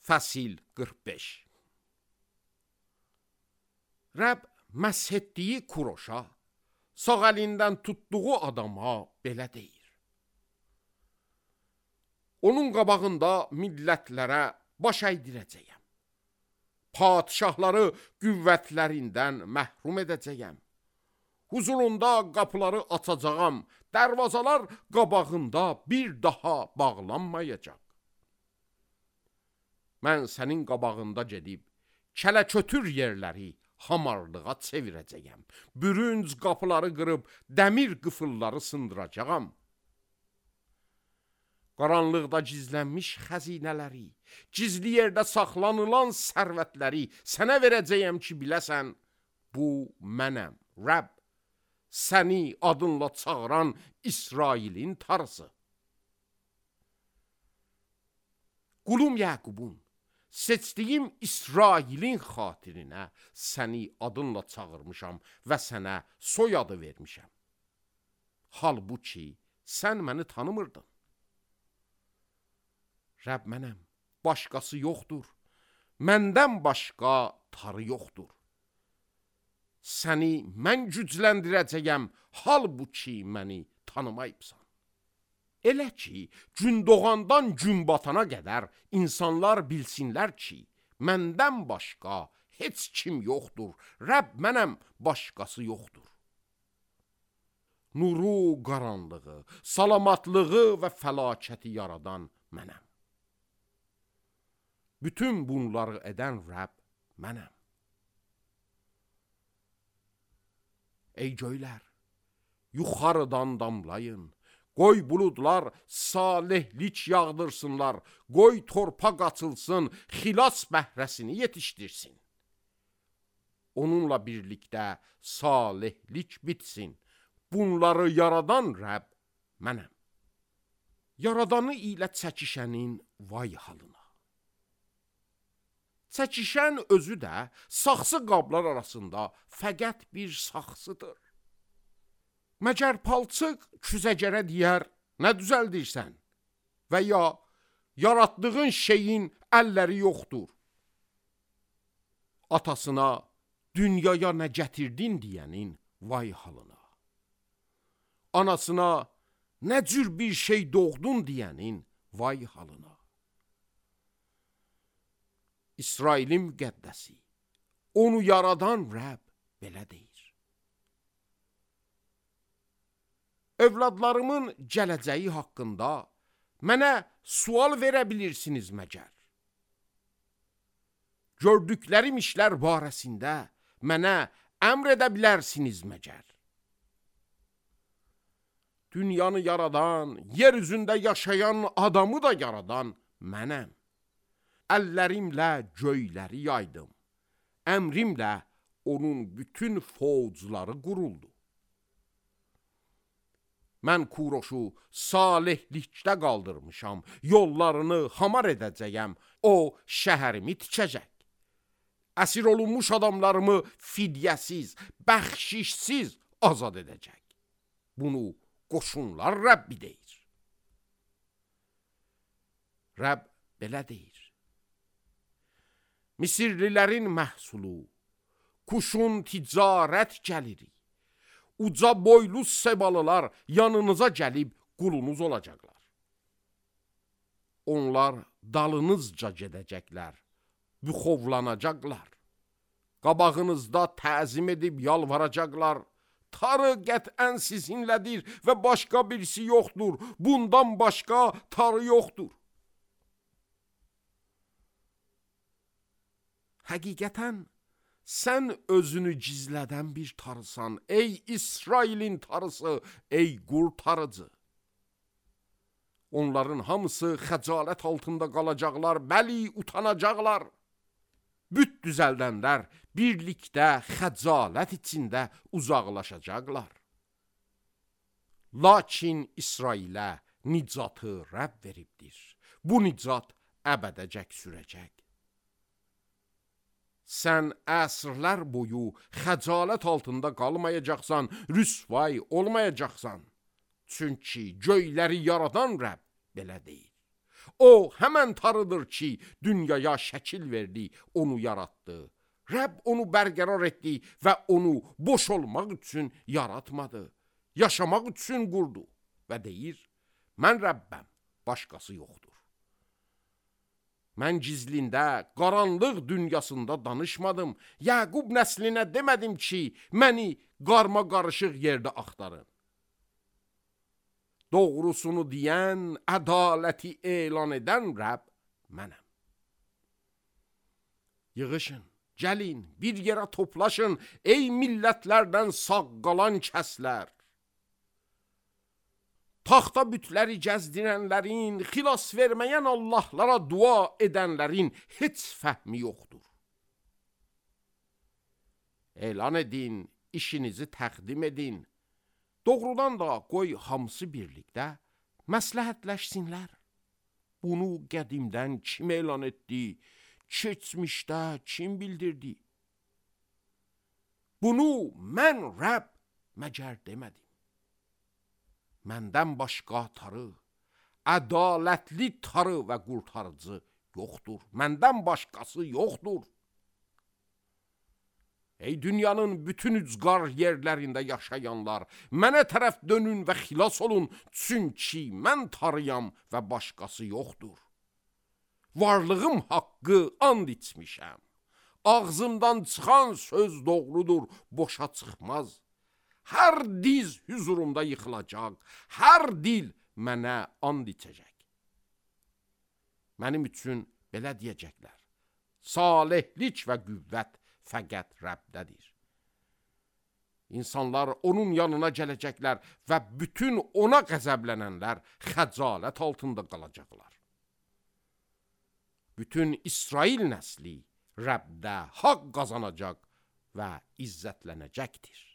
Fəsil 45. Rəbb məsh etdiyi Kuroşa, sağ əlindən tutduğu adama belə deyir. Onun qabağında millətlərə baş əydirəcəyəm. Padişahları qüvvətlərindən məhrum edəcəyəm. Huzurunda qapıları açacağam, dərvazalar qabağında bir daha bağlanmayacaq. Mən sənin qabağında gedib, kələ-kötür yerləri hamarlığa çevirəcəyəm. Bürünc qapıları qırıb, dəmir qıfılları sındıracağam. Qaranlıqda gizlənmiş xəzinələri, gizli yerdə saxlanılan sərvətləri sənə verəcəyəm ki, biləsən, bu mənəm, Rəbb, səni adınla çağıran İsrailin Tanrısı. Qulum Yaqubun, seçdiyim İsrailin xatirinə səni adınla çağırmışam və sənə soyadı vermişəm. Halbuki sən məni tanımırdın. Rəbb mənəm, başqası yoxdur, məndən başqa tarı yoxdur. Səni mən gücləndirəcəyəm, halbuki məni tanımayıbsan. Elə ki, gün doğandan gün batana qədər insanlar bilsinlər ki, məndən başqa heç kim yoxdur, Rəbb mənəm, başqası yoxdur. Nuru, qaranlığı, salamatlığı və fəlakəti yaradan mənəm. Bütün bunları edən Rəbb mənəm. Ey göylər, yuxarıdan damlayın, qoy buludlar salihlik yağdırsınlar, qoy torpaq açılsın, xilas bəhrəsini yetişdirsin. Onunla birlikdə salihlik bitsin, bunları yaradan Rəbb mənəm. Yaradanı ilə çəkişənin vay halına. Çəkişən özü də saxsı qablar arasında fəqət bir saxsıdır. Məgər palçıq küzəgərə deyər, nə düzəldirsən? Və ya yaratdığın şeyin əlləri yoxdur. Atasına, dünyaya nə gətirdin deyənin vay halına. Anasına, nə cür bir şey doğdun deyənin vay halına. İsrailin müqəddəsi, onu yaradan Rəbb belə deyir. Övladlarımın gələcəyi haqqında mənə sual verə bilirsiniz məgər? Gördüklərim işlər barəsində mənə əmr edə bilərsiniz məgər? Dünyanı yaradan, yer üzündə yaşayan adamı da yaradan mənəm. Əllərimlə göyləri yaydım, əmrimlə onun bütün fovcları quruldu. Mən Kuroşu salihlikdə qaldırmışam, yollarını hamar edəcəyəm, o şəhərimi tikəcək. Əsir olunmuş adamlarımı fidyəsiz, bəxşişsiz azad edəcək. Bunu qoşunlar Rəbbi deyir. Rəbb belə deyir. Misirlilərin məhsulu, kuşun ticarət gəliri, uca boylu sebalılar yanınıza gəlib qulunuz olacaqlar. Onlar dalınızca gedəcəklər, büxovlanacaqlar. Qabağınızda təzim edib yalvaracaqlar. Tarı qətən sizinlədir və başqa birisi yoxdur. Bundan başqa tarı yoxdur. Həqiqətən, sən özünü gizlədən bir tarısan, ey İsrailin tarısı, ey qurtarıcı. Onların hamısı xəcalət altında qalacaqlar, bəli, utanacaqlar. Büt düzəldənlər birlikdə xəcalət içində uzaqlaşacaqlar. Lakin İsrailə nicatı Rəbb veribdir. Bu nicat əbədəcək sürəcək. Sən əsrlər boyu xəcalət altında qalmayacaqsan, rüsvay olmayacaqsan. Çünki göyləri yaradan Rəbb belə deyir. O hemen tarıdır ki dünyaya şekil verdi, onu yarattı. Rəbb onu bərqərar etdi və onu boş olmaq üçün yaratmadı. Yaşamaq üçün qurdu və deyir, mən Rəbbəm, başqası yoxdur. Mən gizlində, qaranlıq dünyasında danışmadım. Yaqub nəslinə demədim ki, məni qarma qarışıq yerdə axtarın. Doğrusunu deyən, ədaləti elan edən Rəbb mənəm. Yığışın, gəlin, bir yerə toplaşın, ey millətlərdən sağ qalan kəslər. Taxta bütləri gəzdirənlərin, xilas verməyən Allahlara dua edənlərin heç fəhmi yoxdur. Elan edin, işinizi təqdim edin. Doğrudan da qoy hamısı birlikdə məsləhətləşsinlər. Bunu qədimdən kim elan etdi, keçmişdə kim bildirdi? Bunu mən Rəbb məgər demədim. Məndən başqa tarı, ədalətli tarı və qurtarıcı yoxdur. Məndən başqası yoxdur. Ey dünyanın bütün ucqar yerlərində yaşayanlar, mənə tərəf dönün və xilas olun, çünki mən tarıyam və başqası yoxdur. Varlığım haqqı and içmişəm. Ağzımdan çıxan söz doğrudur, boşa çıxmaz. Hər diz hüzurumda yıxılacaq, hər dil mənə and içəcək. Mənim üçün belə deyəcəklər, salihlik və qüvvət fəqət Rəbbdədir. İnsanlar onun yanına gələcəklər və bütün ona qəzəblənənlər xəcalət altında qalacaqlar. Bütün İsrail nəsli Rəbdə haqq qazanacaq və izzətlənəcəkdir.